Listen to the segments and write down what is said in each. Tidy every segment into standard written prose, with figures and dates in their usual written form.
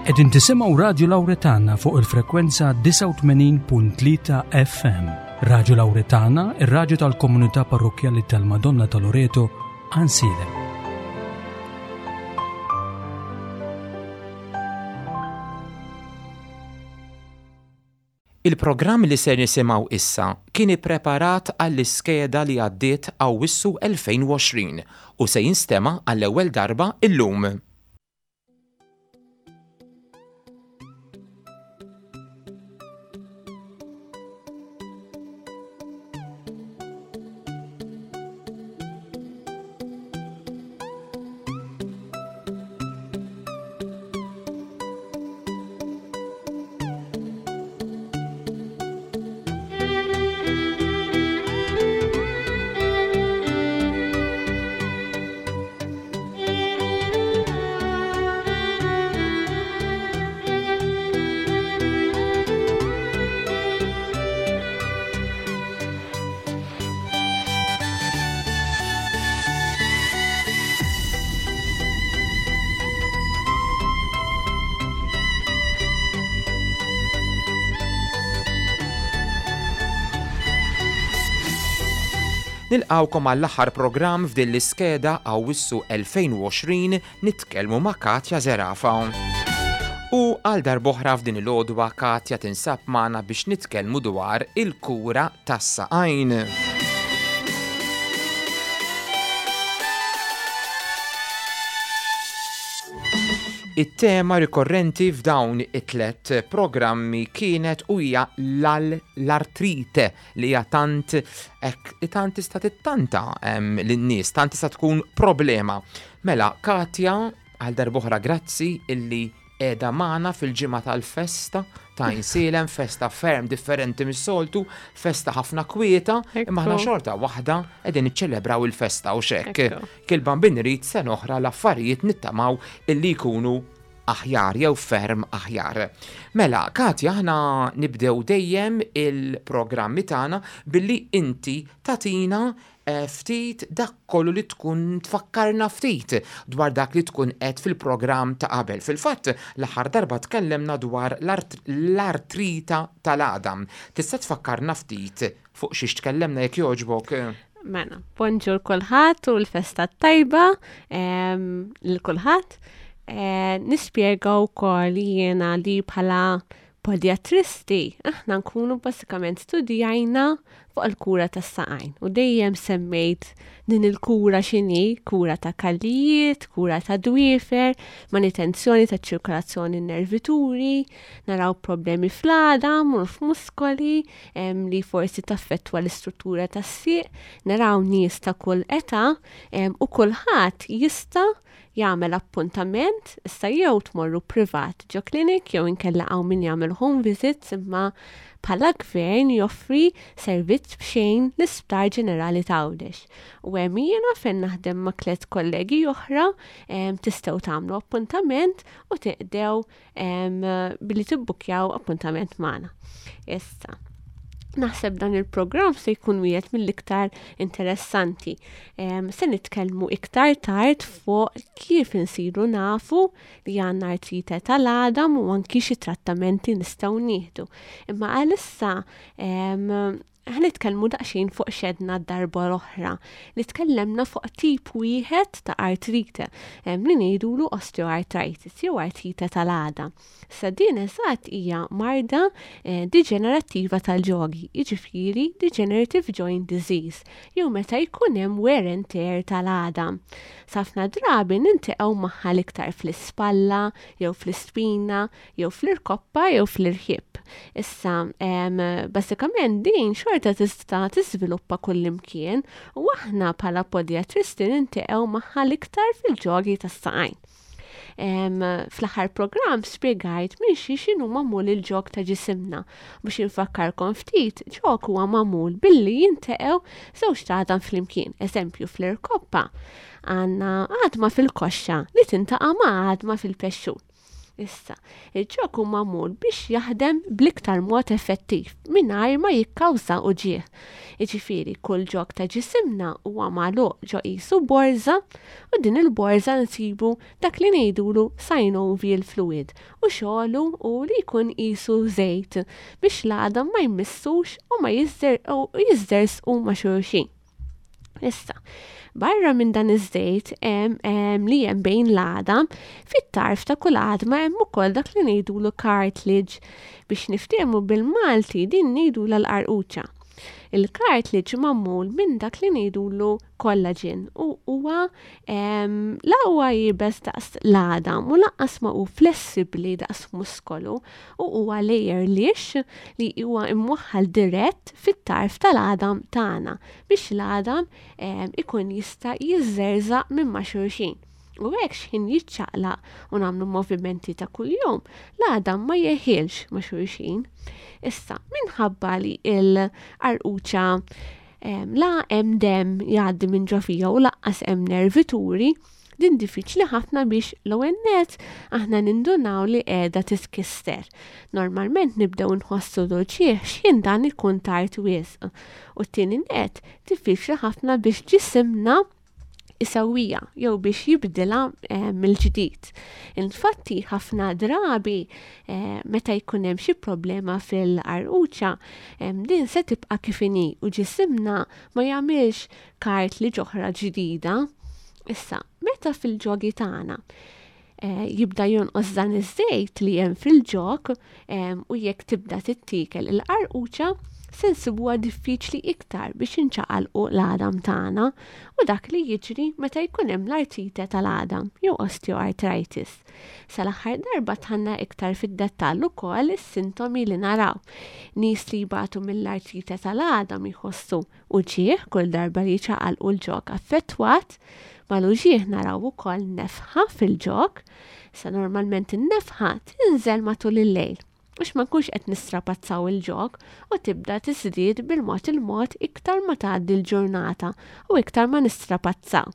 Qegħdin tisimgħu Radju Lawretana fuq il-frekwenza 89.3 FM. Radju Lawretana, ir-radju tal-komunità parrokkjali tal-Madonna ta' Loreto, Għansielem. Il-programm li ser nisimgħu issa kien ippreparat għall-iskeda li għaddiet Awwissu 2020 u se jinstema' għall-ewwel darba illum. Nilqgħukom għall-aħħar programm f'din l-iskeda Awwissu 2020 nitkellmu ma' Katja Zerafa. U għal darb'oħra f'din il-għodwa Katja tinsab magħna biex nitkellmu dwar il-kura tas-saqajn. It-tema rikorrenti f'dawn it-tlett programmi kienet u hija l-artrite li hija tant hekk tant tista' tittanta lin-nies, tant tista' tkun problema. Mela, Katja, għal darb'oħra grazzi illi qiegħda magħna fil-ġimgħa tal-festa ta' Għajnsielem, festa ferm differenti mis-soltu, festa ħafna kwieta, imma aħna xorta waħda qegħdin niċċelebraw il-festa u x'hekk. Kil Bambin irid sena oħra l-affarijiet nittamaw illi jkunu aħjar jew ferm aħjar. Mela, Katja, aħna nibdew dejjem il-programmi tagħna billi inti tagħtina ftit dak kollu li tkun tfakkarna ftit dwar dak li tkun għedt fil-programm ta' qabel. Fil-fatt, l-aħħar darba tkellemna dwar l-artrita tal-għadam. Tista' tfakkarna ftit fuq xiex tkellemna jekk jogħġbok? Mela, bonġur kulħadd u l-festa tajba lil kulħadd. Eh, nispjega wkoll jiena li bħala Podjatristi, aħna nkunu bażikament studjajna fuq il-kura tas-saqajn u dejjem semmejt din il-kura x'inhi, kura ta' kallijiet, kura ta' dwiefer, manutenzjoni ta' ċirkolazzjoni nervituri, naraw problemi fl-għadam u f'muskoli li forsi taffettwa l-istruttura tas-sieq, naraw nies ta' kull età u kulħadd jista' jagħmel appuntament, issa jew tmorru privat ġo clinic jew inkella hawn min jagħmel home visits imma bħala gvern joffri servizz b'xejn l-Isptar Ġenerali ta' Għawdex. U hemm jiena fejn naħdem ma' tliet kollegi oħra tistgħu tagħmlu appuntament u tiqdew billi tibbukkjaw appuntament magħna. Issa, naħseb dan il-programm se jkun wieħed mill-iktar interessanti. Se nitkellmu iktar tard fuq kif insiru nafu li għandna artrite tal-għadam u anki xi trattamenti nistgħu nieħdu. Imma għalissa Ħa nitkellmu daqsxejn fuq x'għedna d-darba l-oħra, li tkellemna fuq tip wieħed ta' artrite, li ngħidulu osteoarthritis jew artrite tal-għada. Sa din eżatt hija marda eh, diġenerattiva tal-ġogi, jiġifieri degenerative joint disease, jew meta jkun hemm wear and tear tal-għada. Safna drabi ninteqgħu magħha l-iktar fl-ispalla jew fl-ispina jew fl-irkoppa jew fl-irħib. Issa, basikament din xorta tista' tiżviluppa kullimkien u aħna bħala podjatristi ninteqgħu magħha l-iktar fil-ġogi tas-saqajn. Fl-aħħar programm spjegajt minn xi x'inhu magħmul il-ġog ta' ġisimna. Biex infakkarkom ftit, ġog huwa magħmul billi jinteqgħu żewġ tagħdam flimkien. Eżempju fl-irkoppa għandna għadma fil-koxxa li tintaqa' ma' għadma fil-pexxun. Issa, il-ġog hu magħmul biex jaħdem bl-iktar mod effettiv mingħajr ma jikkawża uġigħ. Jiġifieri kull ġog ta' ġisimna huwa magħluq ġo qisu borża u din il-borża nsibu dak li ngħidulu synovial fluid u xogħlu hu li jkun qisu żejt biex l-għadam ma jmissux u ma jiżżerżqu ma' xulxin. Issa, barra minn dan iż-żejt li hemm bejn l-għadam, fit-tarf ta' kull għadma hemm ukoll dak li ngħidulu cartilage. Biex niftehmu bil-Malti din ngħidulha l-qarquċa. Il-cartilage magħmul minn dak li ngħidulu collagen u huwa la huwa iebes daqs l-għadam u lanqas ma hu flessibbli daqs muskolu u huwa layer lixx li huwa imwaħħal dirett fit-tarf tal-għadam tagħna biex l-għadam ikun jista' jiżżerżaq minn ma' xulxin. U hekk x'ħin jiċċaqlaq u nagħmlu movimenti ta' kuljum, l-għadam ma jeħilx ma' xulxin. Issa, minħabba li l-qarquċa la hemm demm jgħaddi minn ġo fija u laqqas hemm nervituri, Din diffiċli ħafna biex l-ewwel nett aħna nindunaw li qiegħda titkisser. Normalment nibdew nħossu l-uġigħ x'ħin dan ikun tard wisq. U t-tieni nett, diffiċli ħafna biex ġisimna isewwiha jew biex jibdilha eh, mill-ġdid. Infatti ħafna drabi eh, meta jkun hemm xi problema fil-qarquċa, eh, din se tibqa' kif inhi u ġisimna ma jagħmilx cartilage oħra ġdida. Issa, meta fil-ġogi tagħna eh, jibda jonqos dan iż-żejt li hemm fil-ġog eh, u jekk tibda tittiekel il-qarquċa, se nsibuha diffiċli iktar biex inċaqalqu l-għadam tagħna u dak li jiġri meta jkun hemm l-artrite tal-għadam jew osteoarthritis. Sal-aħħar darba dħalna iktar fid-dettall ukoll is-sintomi li naraw. Nies li jbatu mill-artrite tal-għadam jħossu Uġigħ kull darba li jċaqalqu l-ġog affettwat. Mal-uġigħ naraw ukoll nefħa fil-ġog. Sa normalment in-nefħa tinżel matul il-lejl biex ma nkunx qed nistrapazzaw il-ġog u tibda tiżdied bil-mod il-mod iktar ma tgħaddi l-ġurnata u iktar ma nistrapazzaw.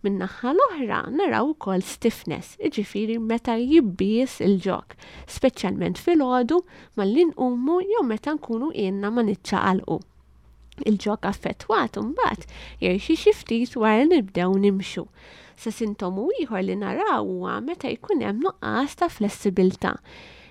Min-naħa l-oħra naraw ukoll stiffness, jiġifieri meta jibbies il-ġog, speċjalment filgħodu malli nqumu jew meta nkunu ilna ma niċċaqalqu. Il-ġog affettwat imbagħad jerxi xi ftit wara li nibdew nimxu. Sa sintomu ieħor li naraw huwa meta jkun hemm nuqqas ta' flessibilità.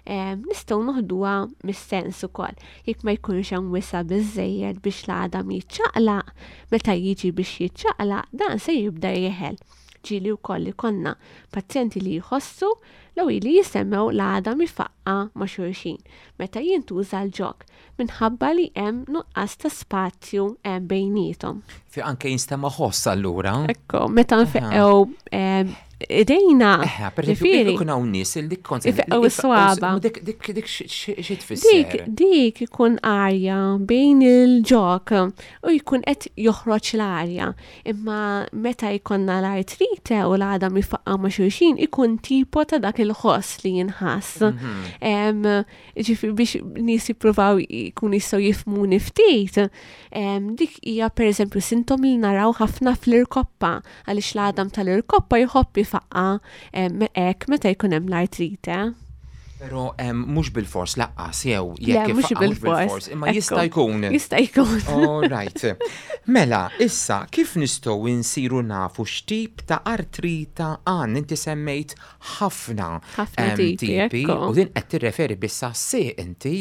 Nistgħu noħduha mis-sens ukoll. Jekk ma jkunx hemm wisa' biżżejjed biex l-għadam jiċċaqlaq, meta jiġi biex jiċċaqlaq dan se jibda jeħel. Ġieli wkoll ikollna pazjenti li jħossu l li jisemgħu l-għadam ifaqqa' ma' xulxin meta jintuża l-ġog. minħabba li hemm nuqqas ta' spazju eh, bejniethom. Fi anke jinstema' ħoss allura. Ekku, meta nfeqqew eh, idejna. Eħe, per eżempju, ikun hawn nies li kont ifeqqew is-swaba. Dik dik dik xi tfisser. Dik dik ikun arja bejn il-ġok u jkun qed joħroġ l-arja. Imma meta jkollna l-artrite u l-għadam jfaqqa' ma' xulxin ikun tipo ta' dak il-ħoss li jinħass. Mhm. Ġifieri biex nies jippruvaw jkunu jistgħu jifhmuni ftit, dik hija pereżempju sintom li naraw ħafna fl-irkoppa għaliex l-għadam tal-irkoppa jħobb ifaqqa hekk meta jkun hemm l-artrite. Pero mhux bil-fors laqqas jew jekk mhux bil-fors, imma jista' jkun. Jista' jkun. All right. Mela, issa kif nistgħu nsiru nafu x'tip ta' artrita għan inti semmejt ħafna ħafna tipi. U din qed tirreferi biss għas-sieq inti?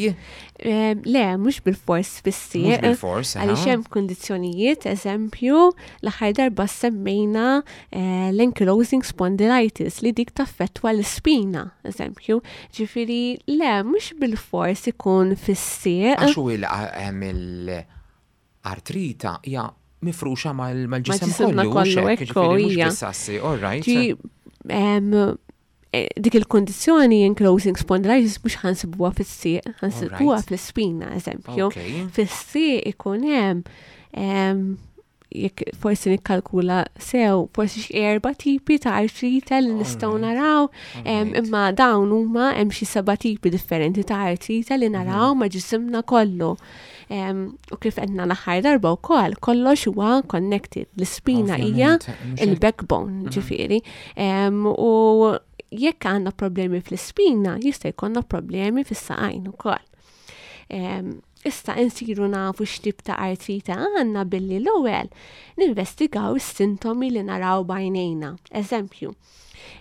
Le, mhux bil-fors fis-sieq. Mhux bil-fors. Għaliex hemm kundizzjonijiet, eżempju, l-aħħar darba semmejna eh, l-ankylosing spondylitis li dik taffettwa l-ispina, eżempju. Ġifieri, le, mhux bil-fors ikun fis-sieq. Għax u il Artrita hija mifruxa mal-ġisem kollu, kollu, ekku, hija. All right. E, dik il-kondizjoni enclosing spondylitis mhux ħansibuha fis-sieq, ħansibuha fl-ispina, eżempju. Fis-sieq ikun hemm jekk forsi nikkalkula sew, forsi xi erba' tipi ta' artrite li nistgħu naraw, imma dawn huma hemm xi seba' tipi differenti ta' artrite li naraw mhm. ma' ġisimna kollu. U kif għedna l-aħħar darba wkoll, kollox huwa connected. L-ispina hija il-backbone, mhm. ġifieri. U Jekk għandna problemi fl-ispina, jista' jkollna problemi fis-saqajn ukoll. Issa insiru nafu x'tip ta' artrite għandna billi l-ewwel ninvestigaw is-sintomi li naraw b'għajnejna. Eżempju,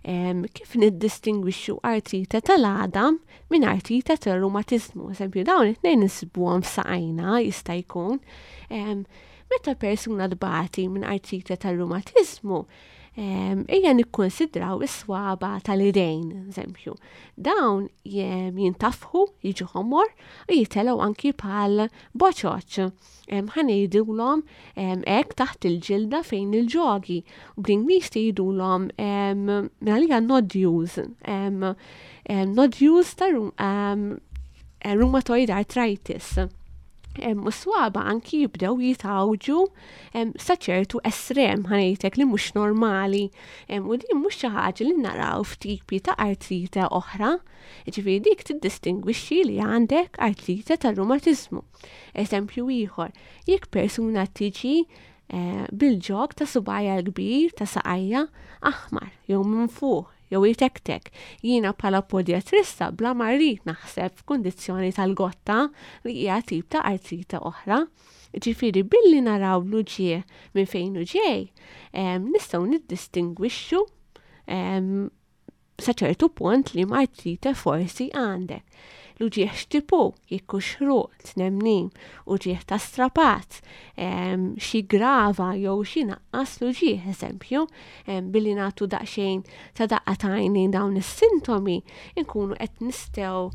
kif niddistingwixxu artrite tal-għadam minn artrite tar-rumatiżmu. Eżempju, dawn it-tnejn insibuhom f'saqajna jista' jkun. Meta persuna tbati minn artrite tar-rumatiżmu, ejja nikkonsidraw is-swaba tal-idejn, eżempju. Dawn jintafħu, jiġu ħomor u jitelgħu anki bħal boċoċ. Ħa ngħidulhom hekk taħt il-ġilda fejn il-ġogi. U bl-Ingliż tgħidulhom għalija nodules. Nodules ta' rheumatoid arthritis. U swaba anki jibdew jitgħawġu sa ċertu estrem ħa ngħidlek li mhux normali. U din mhux xi ħaġa li naraw f'tipi ta' artrite oħra. Ġifieri dik tiddistingwixxi li għandek artrite tar-rumatiżmu. Eżempju ieħor, jekk persuna tiġi bil-ġog ta' subgħajha l-kbir ta' saqajja aħmar jew minfuħ jew jitektek. Jiena bħala podiatrista bla ma rrid naħseb f'kundizzjoni tal-gotta li hija tip ta' artrite oħra. Ġifieri billi naraw l-uġigħ minn fejn hu ġej, nistgħu niddistingwixxu sa ċertu punt li artrite forsi għandek. L-uġigħ x'tipu, jekk hux ħruq, tnemnim, uġigħ ta' strapazz, xi grava jew xi naqqas l-uġigħ, eżempju, billi nagħtu daqsxejn ta' daqqa ta' għajnejn dawn is-sintomi, inkunu qed nistgħu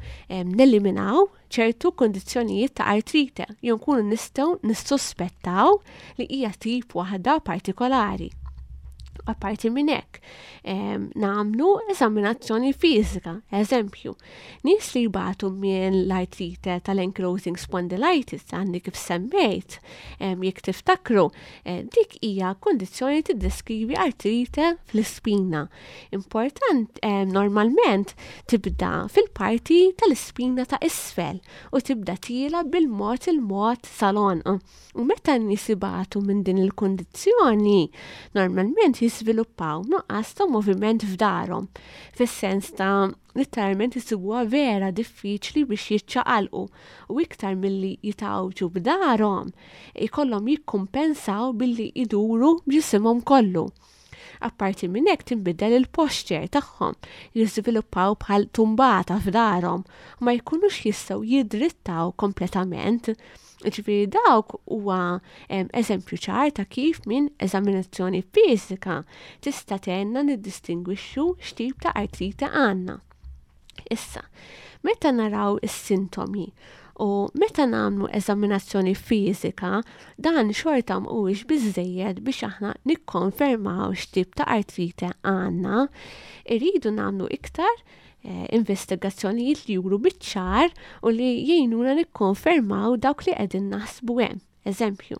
neliminaw ċertu kondizzjonijiet ta' artrite, jew nkunu nistgħu nissuspettaw li hija tip waħda partikolari. Apparti minn hekk, nagħmlu eżaminazzjoni fiżika, eżempju, nies li jbatu minn l-artrite tal-ankylosing spondylitis għandi kif semmejt, jekk tiftakru, dik hija kondizzjoni tiddeskrivi artrite fl-ispina. Important, normalment tibda fil-parti tal-ispina ta' isfel u tibda tila bil-mod il-mod sal-għonq. U meta n-nies ibatu minn din il-kundizzjoni, normalment jiżviluppaw nuqqas ta' moviment f'darhom, fis-sens ta' literalment isibuha vera diffiċli biex jiċċaqalqu u iktar milli jitgħawġu b'darhom, ikollhom jikkumpensaw billi iduru b'ġisimhom kollu. Apparti minn hekk tinbidel il-posture tagħhom, jiżviluppaw bħal tumbata f'darhom u ma jkunux jistgħu jidrittaw kompletament. Ġifieri dawk huwa eżempju ċar ta' kif minn eżaminazzjoni fiżika tista' tgħinna niddistingwixxu x'tip ta' artrite għandna. Issa, meta naraw is-sintomi u meta nagħmlu eżaminazzjoni fiżika, dan xorta mhuwiex biżżejjed biex aħna nikkonfermaw x'tip ta' artrite għandna. Irridu nagħmlu iktar investigazzjonijiet li juru biċ-ċar u li jgħinuna nikkonfermaw dawk li qegħdin naħsbu hemm. Eżempju,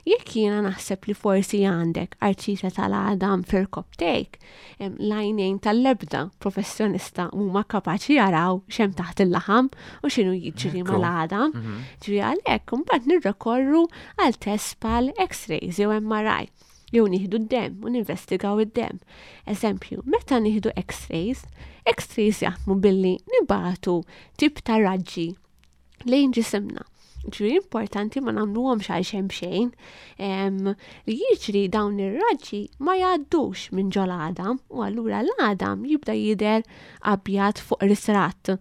jekk jiena naħseb li forsi għandek artrite tal-għadam fir-rkopptejk, l-għajnejn tal-ebda professjonista huma kapaċi jaraw x'hemm taħt il-laħam u x'inhu jiġri mal-għadam. Ġifieri għalhekk imbagħad nirrikorru għal test bħal X-rays jew MRI. Jew nieħdu d-demm u ninvestigaw id-demm. Eżempju, meta nieħdu X-rays, X-rays jaħdmu billi nibagħtu tip ta' raġġi lejn ġisimna. Ġifieri importanti ma nagħmluhomx għal xejn xejn. Li jiġri dawn ir-raġġi ma jgħaddux minn ġol għadam u allura l-għadam jibda jidher abjad fuq ritratt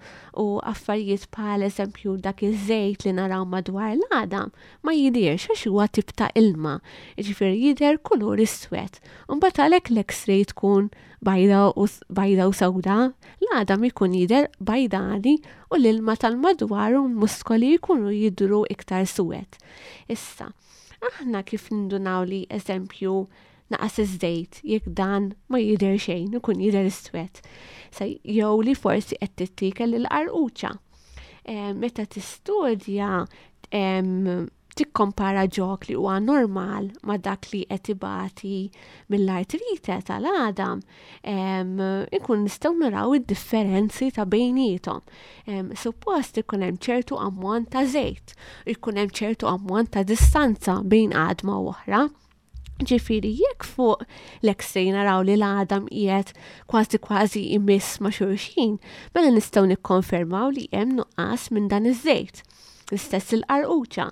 u affarijiet bħal eżempju dak iż-żejt li naraw madwar l-għadam ma jidirx għax huwa tip ta' ilma, jiġifieri jidher kulur iswed. Imbagħad għalhekk l-X-ray tkun bajda u bajda u sewda, l-għadam ikun jidher bajdani u l-ilma tal-madwar u l-muskoli jkunu jidhru iktar suwed. Issa, aħna kif nindunaw li eżempju naqas iż-żejt jekk dan ma jidher xejn, ikun jidher iswed. Sa jew li forsi qed tittiekel il-qarquċa. Meta tistudja tikkompara ġok li huwa normal ma dak li qed ibati mill-artrite tal-għadam, ikun nistgħu naraw id-differenzi ta' bejniethom. Suppost ikun hemm ċertu ammont ta' żejt, ikun hemm ċertu ammont ta' distanza bejn għadma u oħra. Ġifieri jekk fuq l-X-ray naraw li l-għadam qiegħed kważi kważi imiss ma' xulxin, mela nistgħu nikkonfermaw li hemm nuqqas minn dan iż-żejt. L-istess il-qarquċa.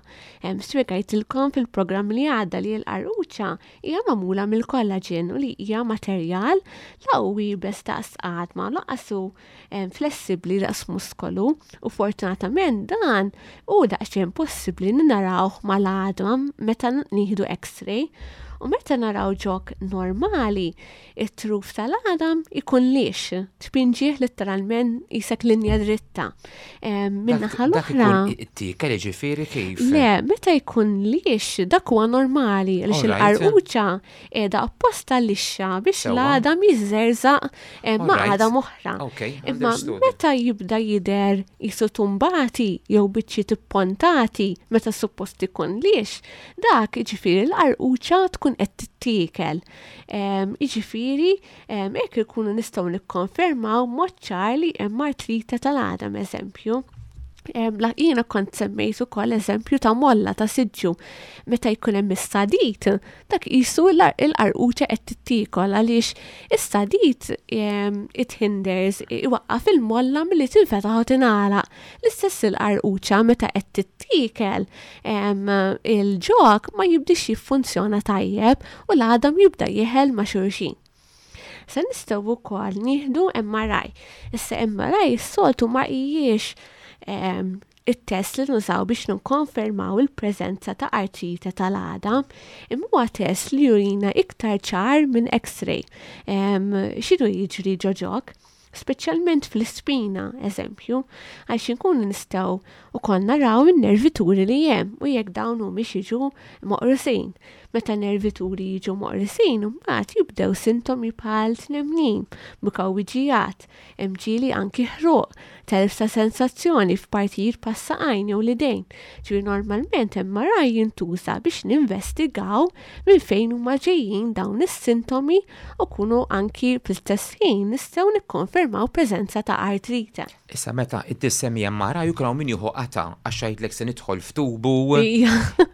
Hemm spjegajtilkom fil-programm li għadda li l-qarquċa hija magħmula mill-kollaġen u li hija materjal la hu iebes daqs għadma lanqas hu flessibbli daqs muskolu u fortunatament dan hu daqsxejn possibbli li narawh mal-għadma meta nieħdu x-ray u meta naraw ġog normali it-truf tal-għadam ikun lix, tpinġih litteralment qisek linja dritta. Min-naħa l-oħra. It-tiekel jiġifieri kif? Le, meta jkun lix dak huwa normali għaliex il-qarquċa qiegħda apposta lixxa biex l-għadam jiżżerżaq eh, ma' għadam oħra. Imma meta jibda jidher jisu tumbati jew biċċiet ippontati meta suppost ikun lix, dak jiġifieri l-qarquċa tkun qed tittiekel. Jiġifieri hekk ikunu nistgħu nikkonfermaw mod ċar li hemm artrite tal-għadam eżempju. Jiena kont semmejt ukoll eżempju ta' molla ta' siġġu. Meta jkun hemm is-sadid, dak qisu l-qarquċa qed tittiekol għaliex is-sadid it hinders iwaqqaf il-molla milli tinfetaħ u tingħalaq. L-istess il-qarquċa meta qed tittiekel il-ġog ma jibdix jiffunzjona tajjeb u l-għadam jibda jeħel ma' xulxin. Se nistgħu wkoll nieħdu MRI. Issa MRI s-soltu ma hijiex ehm, it-test li nużaw biex nikkonfermaw il-preżenza ta' artrite tal-għadam, imma huwa test li jurina iktar ċar minn X-ray. Ehm, x'inhu jiġri ġo ġog? Speċjalment fl-ispina, eżempju, għaliex inkunu nistgħu wkoll naraw in-nervituri li hemm u jekk dawn humiex jiġu moqrusin. Meta nervituri jiġu moqrusin, imbagħad jibdew sintomi bħal tnemnim, mukawwiġijat, hemm ġieli anki ħruq, telf ta' sensazzjoni f'partijiet bħas-saqajn jew l-idejn. Ġifieri normalment MRI jintuża biex ninvestigaw minn fejn huma ġejjin dawn is-sintomi u kunu anki fl-istess ħin nistgħu nikkonfermaw preżenza ta' artrite. Issa meta tissemmi MRI jkun hawn min jieħu qatgħa għax jgħidlek se nidħol f'tubu.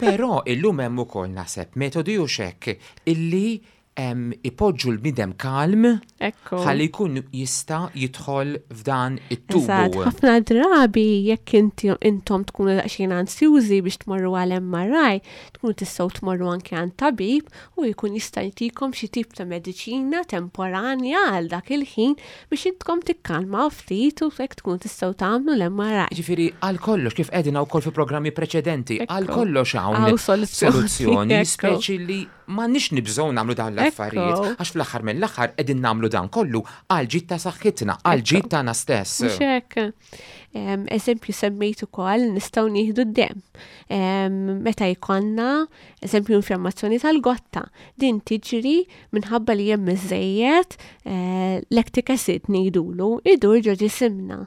Però illum hemm ukoll naħseb metodi u x'hekk illi ipoġġu l-bniedem kalm ħalli jkun jista' jidħol f'dan it-tubu. Eżatt, ħafna drabi jekk inti intom tkunu daqsxejn ansjużi biex tmorru għal MRI, tkunu tistgħu tmorru anke għand tabib u jkun jista' jtikom xi tip ta' mediċina temporanja għal dak il-ħin biex intkom tikkalmaw ftit u hekk tkunu tistgħu tagħmlu l-MRI. Jiġifieri għal kollox kif għedna wkoll fi programmi preċedenti, għal kollox hawn soluzzjoni, speċi li M'għandniex nibżgħu nagħmlu dawn l-affarijiet, għax fl-aħħar mill-aħħar qegħdin nagħmlu dan kollu għall-ġid ta' saħħitna, għall-ġid tagħna stess. Mhux hekk. Eżempju semmejt ukoll nistgħu nieħdu d-demm. Meta jkollna eżempju infjammazzjoni tal-gotta, din tiġri minħabba li hemm iżejjed eh, lactic acid ngħidulu idur ġo ġisimna.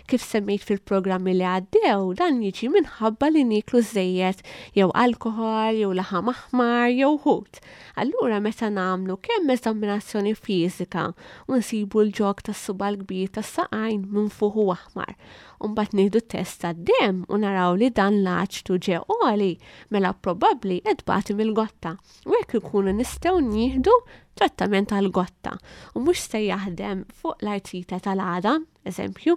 Kif semmejt fil-programmi li għaddew, dan jiġi minħabba li nieklu żżejjed jew alkoħol jew laħam aħmar jew ħut. Allura meta nagħmlu kemm eżaminazzjoni fiżika u nsibu l-ġog tas-suba' l-kbir tas-saqajn minfuħ u aħmar, u mbagħad nieħdu test tad-demm u naraw li dan l-aċtu ġie għoli, mela probabbli qed tbati mill-gotta. U hekk ikunu nistgħu nieħdu trattament għall-gotta u mhux se jaħdem fuq l-artrite tal-għadam. Eżempju,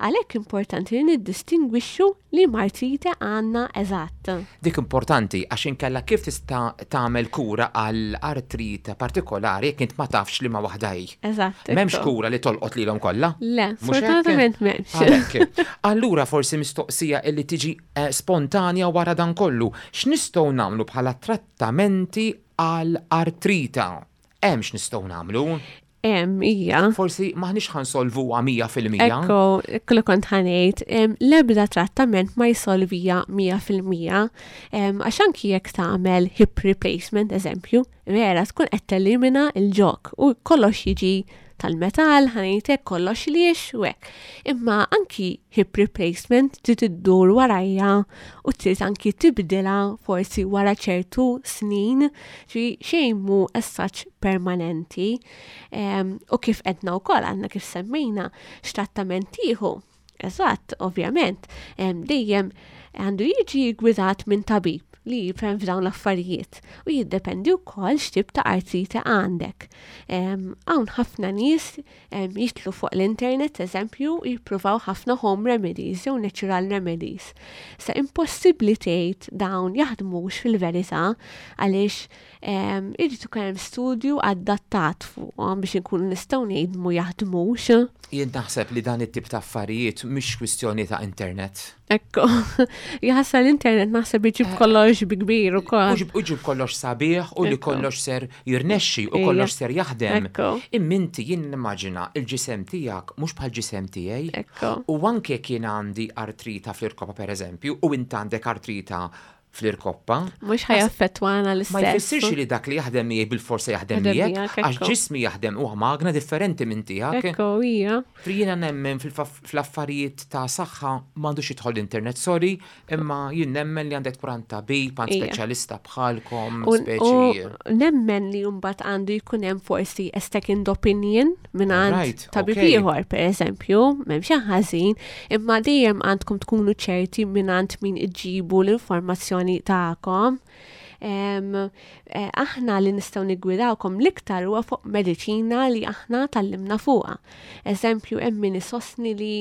għalhekk importanti li niddistingwixxu liema artrite għandna eżatt. Dik importanti għax inkella kif tista' tagħmel kura għal artrite partikolari jekk int ma tafx liema waħda hi? Eżatt. M'hemmx kura li tolqot lilhom kollha? Le, sfortunatament m'hemmx. Għalhekk. Allura forsi mistoqsija li tiġi eh, spontanja wara dan kollu, x'nistgħu nagħmlu bħala trattamenti għal artrita? Hemm x'nistgħu nagħmlu? Hemm hija. Forsi m'aħniex ħa nsolvuha 100%. Ekku, ekku li kont ħa ngħid, l-ebda trattament ma jsolvija 100%, għax anki jekk tagħmel hip replacement eżempju, vera tkun qed telimina l-ġog u kollox jiġi tal-metall, ħa ngħid hekk, kollox liex u hekk. Imma anki hip replacement trid iddur warajja u trid anki tibdilha forsi wara ċertu snin, ġifieri xejn mhu as such permanenti. U kif għedna wkoll għandna kif semmejna x'trattament tieħu. Eżatt, ovvjament, dejjem Għandu jiġi ggwidat minn tabib li jifhem f'dawn l-affarijiet u jiddependi wkoll x'tip ta' artrite għandek. Hawn ħafna nies jidħlu fuq l-internet, eżempju, jippruvaw ħafna home remedies jew natural remedies. Sa impossibbli tgħid dawn jaħdmux fil-verità għaliex irid ikun hemm studju adattat fuqhom biex inkunu nistgħu ngħidu jaħdmux. Jien naħseb li dan it-tip ta' affarijiet mhix kwistjoni ta' internet. Ekku, jaħseb l-internet naħseb iġib eh, kollox bi kbir ukoll. U ġib kollox sabiħ u li kollox ser jirnexxi u kollox ser jaħdem. Imminti jien nimmaġina il-ġisem tiegħek mhux bħal ġisem tiegħi. U anke kien għandi artrita fl-irkopa pereżempju u int għandek artrita fl-irkoppa. Mhux ħajaffettwana l-istess. Ma jfissirx li dak li jaħdem miegħi bil-forsa jaħdem miegħek, għax ġismi jaħdem huwa magna differenti minn tiegħek. Ekku, hija. Jiena nemmen fl-affarijiet ta' saħħa m'għandux jidħol l-internet, sorry, imma jien nemmen li għandek tkun għand tabib, għand speċjalista bħalkom, speċi. Nemmen li mbagħad għandu jkun hemm forsi a second opinion minn għand tabib ieħor, pereżempju, m'hemm xejn ħażin, imma dejjem għandkom tkunu ċerti minn għand min iġġibu l-informazzjoni tagħkom. Eh, aħna li nistgħu niggwidawkom l-iktar huwa fuq mediċina li aħna tallimna fuqha. Eżempju, hemm min isostni li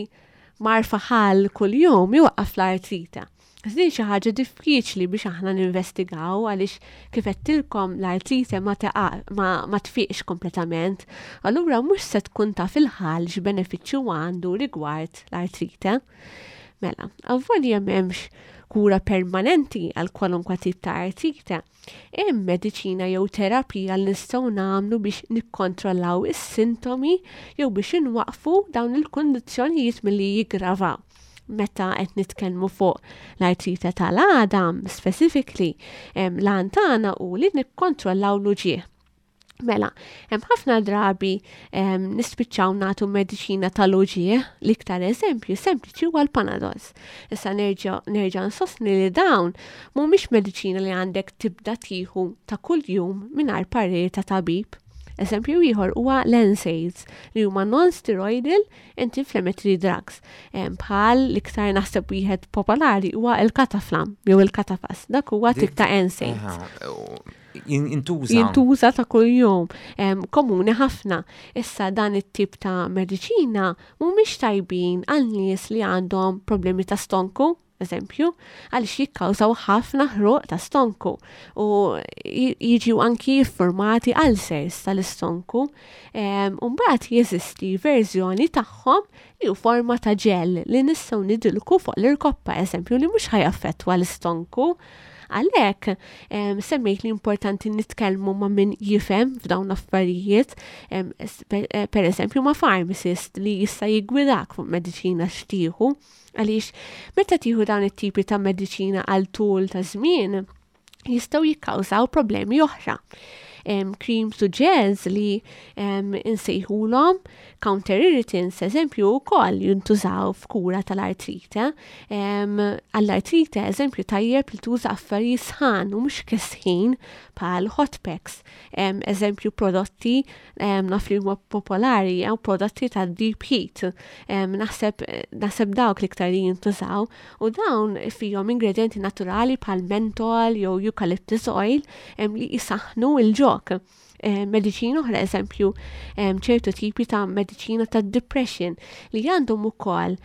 marfa ħal kuljum iwaqqaf l-artrita. Din xi ħaġa diffiċli biex aħna ninvestigaw għaliex kif għedtilkom l-artrite ma ma, ma tfiqx kompletament. Allura mhux se tkun taf il-ħal x'benefiċċju għandu rigward l-artrite. Mela, avolja m'hemmx kura permanenti għal kwalunkwe tip ta' artrite, hemm mediċina jew terapija li nistgħu nagħmlu biex nikkontrollaw is-sintomi jew biex inwaqqfu dawn il-kundizzjonijiet milli jiggravaw. Meta qed nitkellmu fuq l-artrite tal-għadam specifically, l-għan tagħna hu li nikkontrollaw l-uġigħ. Mela, hemm ħafna drabi nispiċċaw nagħtu mediċina tal-uġigħ, l-iktar eżempju sempliċi huwa l-Panadols. Issa nerġa' nerġa' nsostni li dawn mhumiex mediċina li għandek tibda tieħu ta' kuljum mingħajr parir ta' tabib. Eżempju ieħor huwa l-NSAIDs li huma non-steroidal anti-inflammatory drugs. Bħal l-iktar naħseb wieħed popolari huwa l-Cataflam jew il-Catafas. Dak huwa tip ta' NSAIDs. Jintuża. Jintuża ta' kuljum, komuni ħafna. Issa dan it-tip ta' mediċina mhumiex tajbin għal nies li għandhom problemi ta' stonku, eżempju, għaliex jikkawżaw ħafna ħruq ta' stonku u jiġu anki jiffurmati ulcers tal-istonku. U mbagħad jeżisti verżjoni tagħhom li hu forma ta' ġel li nistgħu nidilku fuq l-irkoppa, eżempju, li mhux ħajaffettwa l-istonku. Għalhekk, semmejt li importanti nitkellmu ma' min jifhem f'dawn l-affarijiet, eh, per eżempju ma' pharmacist li jista' jiggwidak fuq mediċina x'tieħu. Għaliex meta tieħu dawn it-tipi ta' mediċina għal tul ta' żmien, jistgħu jikkawżaw problemi oħra. Creams u gels li insejħulhom counter irritants, eżempju, wkoll jintużaw f'kura tal-artrite. Għall-artrite, eżempju, tajjeb li tuża affarijiet sħan u mhux kesħin bħal hot packs. Eżempju, prodotti naf li huma popolari jew prodotti ta' deep heat. Naħseb naħseb dawk l-iktar li jintużaw u dawn fihom ingredienti naturali bħal mentol jew eucalyptus oil li jisaħnu il-ġok. Mediċina oħra, eżempju, ċertu tipi ta' mediċina ta' depression li għandhom ukoll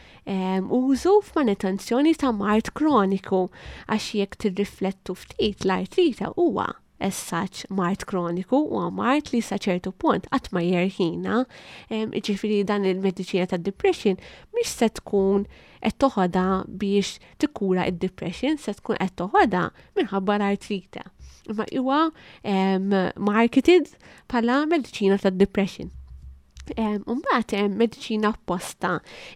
użu f'manutenzjoni ta' mard kroniku għax jekk tirriflettu ftit l-artrite huwa as such mard kroniku huwa mard li sa ċertu punt qatt ma jerħina. Jiġifieri dan il-mediċina ta' depression mhix se tkun qed toħodha biex tikkura id-depression, se tkun qed toħodha minħabba l-artrite. Imma huwa marketed bħala mediċina ta' depression. Mbagħad hemm mediċina apposta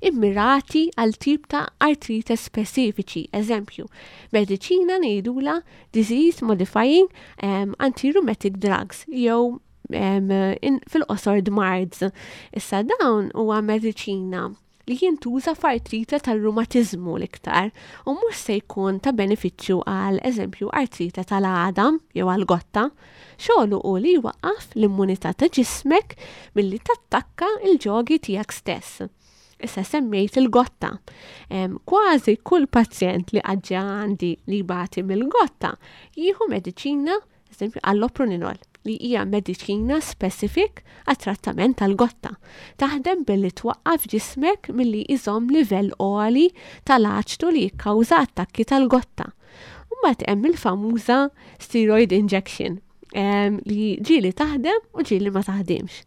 immirati għal tip ta' artrite speċifiċi. Eżempju, mediċina ngħidula disease modifying anti-rheumatic drugs jew fil-qosor DMARDs. Issa dawn huwa mediċina li jintuża f'artrite tar-rumatiżmu l-iktar u mhux se jkun ta' benefiċċju għal eżempju artrite tal-għadam jew għal gotta. Xogħlu hu li jwaqqaf l-immunità ta' ġismek milli tattakka l-ġogi tiegħek stess. Issa semmejt il-gotta. Kważi kull pazjent li għadġa għandi li jbati mill-gotta jieħu mediċina, eżempju alloproninol, li hija mediċina specifik għat-trattament tal-gotta. Taħdem billi twaqqaf ġismek milli jżomm livell għoli tal-aċtu li jikkawża attakki tal-gotta. Mbagħad hemm il-famuża steroid injection li ġieli taħdem u ġieli ma taħdimx.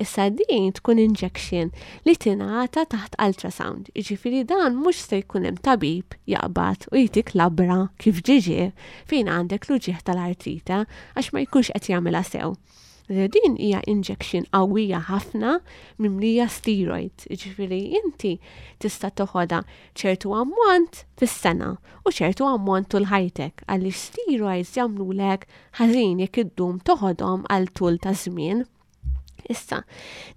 Issa din tkun injection li tingħata taħt ultrasound. Jiġifieri dan mhux se jkun hemm tabib jaqbad u jtik labra kif ġiġi fejn għandek l-uġigħ tal-artrite għax ma jkunx qed jagħmilha sew. Din hija injection qawwija ħafna mimlija steroids, jiġifieri inti tista' toħodha ċertu ammont fis-sena u ċertu ammont tul ħajtek għaliex steroids jagħmlulek ħażin jekk iddum toħodhom għal tul ta' żmien. Issa,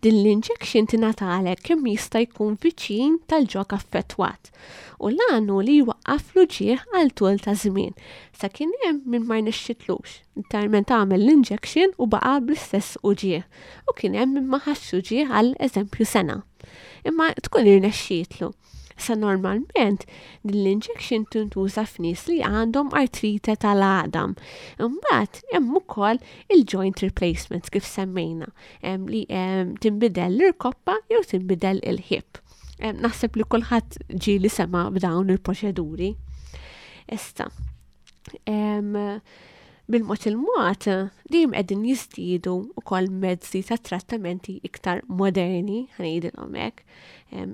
din l-injection tingħatalek kemm jista' jkun viċin tal-ġog affettwat u l-għan hu li jwaqqaf l-uġigħ għal tul ta' żmien. Sa kien hemm min ma rnexxitlux, literalment għamel l-injection u baqa' bl-istess uġigħ u kien hemm min ma ħassx uġigħ għal eżempju sena. Imma tkun irnexxietlu. Sa normalment din l-injection tintuża f'nies li għandhom artrite tal-għadam. Imbagħad hemm ukoll il-joint replacements kif semmejna, li tinbidel l-irkoppa jew tinbidel il-hip. Naħseb li kulħadd ġieli sema' b'dawn il-proċeduri. Issa, bil-mod il-mod, dejjem qegħdin jiżdiedu wkoll mezzi ta' trattamenti iktar moderni, ħa ngħidilhom hekk.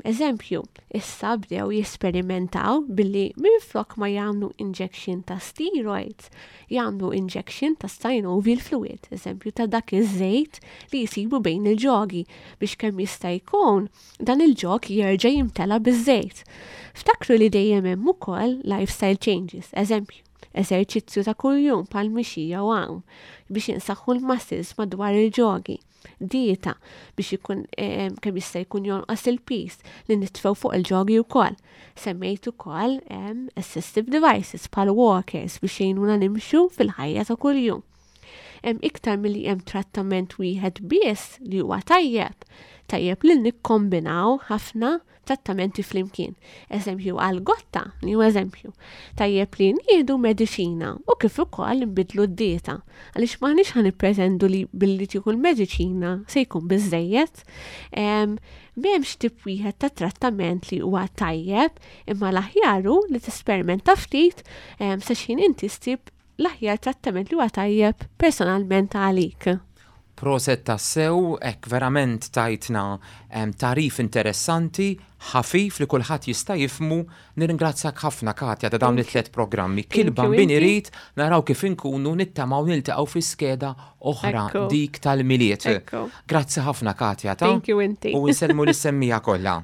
Eżempju, issa bdew jesperimentaw billi minflok ma jagħmlu injection ta' steroids, jagħmlu injection ta' synovial fluid, eżempju ta' dak iż-żejt li jsibu bejn il-ġogi biex kemm jista' jkun dan il-ġog jerġa' jimtela biż-żejt. Ftakru li dejjem hemm ukoll lifestyle changes, eżempju, eżerċizzju ta' kuljum bħal mixi jew għawm biex insaħħu l-muscles madwar il-ġogi, dieta biex ikun kemm jista' jkun jonqos il-piż li nitfgħu fuq il-ġogi wkoll. Semmejt ukoll assistive devices bħal walkers biex jgħinuna nimxu fil-ħajja ta' kuljum. Hemm iktar milli hemm trattament wieħed biss li huwa tajjeb. Tajjeb li nikkombinaw ħafna trattamenti flimkien. Eżempju għal gotta, li huwa eżempju. Tajjeb li nieħdu mediċina u kif ukoll nbidlu d-dieta. Għaliex m'aħniex ħa nippretendu li billi tieħu l-mediċina se jkun biżżejjed. M'hemmx tip wieħed ta' trattament li huwa tajjeb, imma l-aħjar hu li tesperimenta ftit sa x'ħin inti ssib l-aħjar trattament li huwa tajjeb personalment għalik. Proset tassew, hekk verament tajtna tagħrif interessanti, ħafif li kulħadd jista' jifhmu. Nirringrazzjak ħafna Katja ta' dawn it-tliet programmi. Kil bambin irid naraw kif inkunu nittamaw niltaqgħu fi skeda oħra dik tal-Milied. Grazzi ħafna Katja ta' Thank you inti. U nsellmu lis-semmiegħa kollha.